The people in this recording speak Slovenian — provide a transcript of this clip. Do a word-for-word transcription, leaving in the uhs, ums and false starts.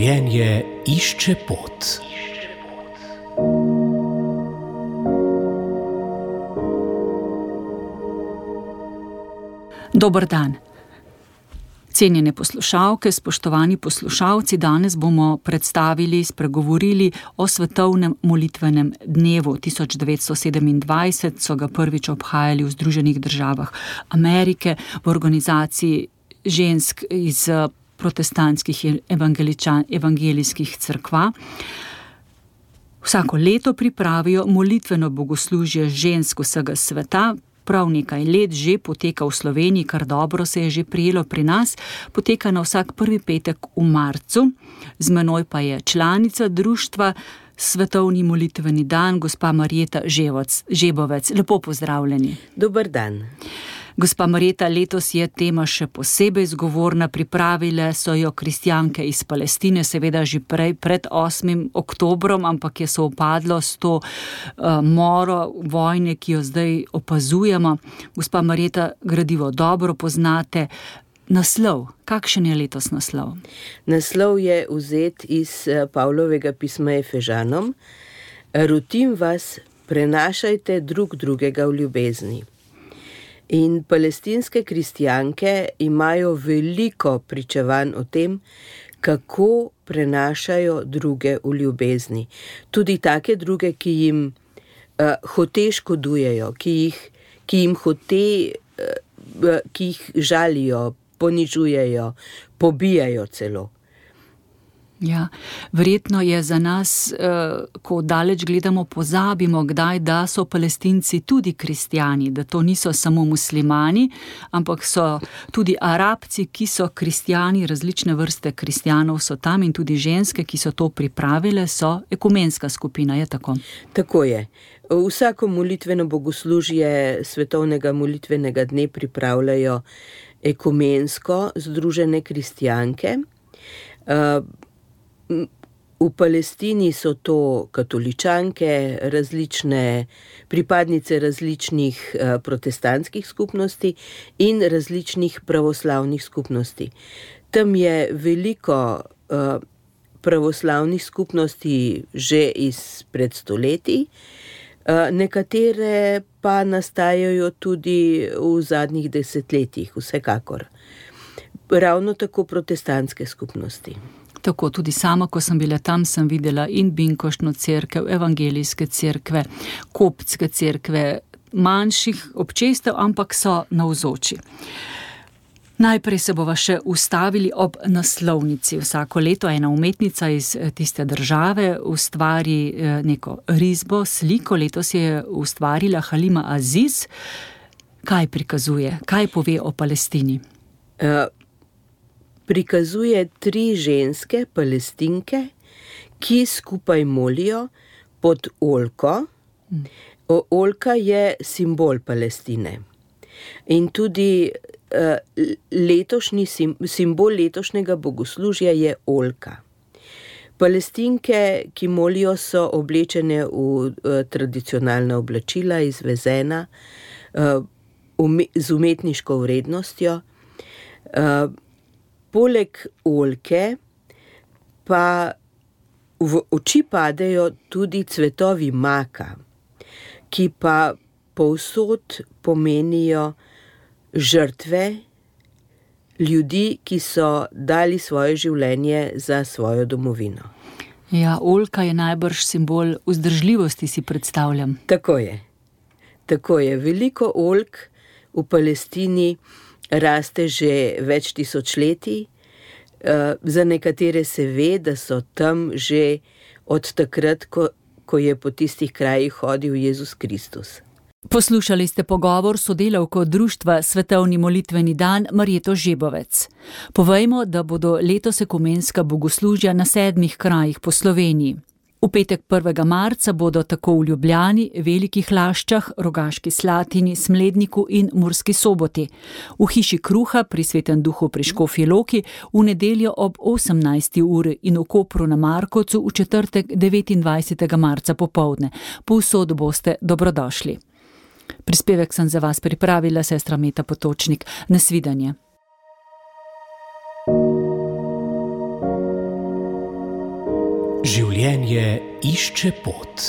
Življenje išče pot. Dober dan. Cenjene poslušalke, spoštovani poslušalci, danes bomo predstavili, spregovorili o svetovnem molitvenem dnevu. tisoč devetsto sedemindvajset so ga prvič obhajali v Združenih državah Amerike v organizaciji žensk iz protestantskih in evangelijskih cerkva. Vsako leto pripravijo molitveno bogoslužje žensk vsega sveta. Prav nekaj let že poteka v Sloveniji, kar dobro se je že prijelo pri nas, poteka na vsak prvi petek v marcu. Z menoj pa je članica društva Svetovni molitveni dan, gospa Marjeta Žebovec. Lepo pozdravljeni. Dober dan. Gospa Marjeta, letos je tema še posebej zgovorna, pripravile so jo kristjanke iz Palestine, seveda že prej, pred osmim oktobrom, ampak je sovpadlo s to uh, moro vojne, ki jo zdaj opazujemo. Gospa Marjeta, gradivo dobro poznate. Naslov, kakšen je letos naslov? Naslov je vzet iz Pavlovega pisma Efežanom. Rotim vas, prenašajte drug drugega v ljubezni. In palestinske kristjanke imajo veliko pričevanj o tem, kako prenašajo druge v ljubezni. Tudi take druge, ki jim uh, hote škodujejo, ki jih, ki jim hote, uh, ki jih žalijo, ponižujejo, pobijajo celo. Ja, verjetno je za nas, ko daleč gledamo, pozabimo kdaj, da so Palestinci tudi kristjani, da to niso samo muslimani, ampak so tudi Arabci, ki so kristjani, različne vrste kristjanov so tam in tudi ženske, ki so to pripravile, so ekumenska skupina, je tako? Tako je. Vsako molitveno bogoslužje svetovnega molitvenega dne pripravljajo ekumensko združene kristjanke. V Palestini so to katoličanke, različne pripadnice različnih protestantskih skupnosti in različnih pravoslavnih skupnosti. Tam je veliko pravoslavnih skupnosti že izpred stoletij, nekatere pa nastajajo tudi v zadnjih desetletjih, vsekakor. Ravno tako protestantske skupnosti. Tako, tudi sama, ko sem bila tam, sem videla in binkoštno cerkev, evangelijske cerkve, koptske cerkve, manjših občestev, ampak so navzoči. Najprej se bova še ustavili ob naslovnici. Vsako leto ena umetnica iz tiste države ustvari neko risbo, sliko. Letos je ustvarila Halima Aziz. Kaj prikazuje? Kaj pove o Palestini? Uh, prikazuje tri ženske Palestinke, ki skupaj molijo pod oljko. O, oljka je simbol Palestine. In tudi uh, letošnji sim, simbol letošnjega bogoslužja je oljka. Palestinke, ki molijo, so oblečene v uh, tradicionalna oblačila, izvezena, uh, ume, z umetniško vrednostjo. Uh, Poleg oljke pa v oči padejo tudi cvetovi maka, ki pa povsod pomenijo žrtve ljudi, ki so dali svoje življenje za svojo domovino. Ja, oljka je najbrž simbol vzdržljivosti, si predstavljam. Tako je. Tako je. Veliko oljk v Palestini raste že več tisočletij. Za nekatere se ve, da so tam že od takrat, ko, ko je po tistih krajih hodil Jezus Kristus. Poslušali ste pogovor sodelavko društva Svetovni molitveni dan Marjeto Žebovec. Povejmo, da bodo letos ekumenska bogoslužja na sedmih krajih po Sloveniji. V petek prvega marca bodo tako v Ljubljani, Velikih Laščah, Rogaški Slatini, Smledniku in Murski Soboti. V hiši Kruha pri Svetem Duhu pri Škofji Loki v nedeljo ob osemnajsti uri in v Kopru na Markovcu v četrtek devetindvajsetega marca popoldne. Povsod boste dobrodošli. Prispevek sem za vas pripravila sestra Meta Potočnik. Nasvidenje. življenje išče pot.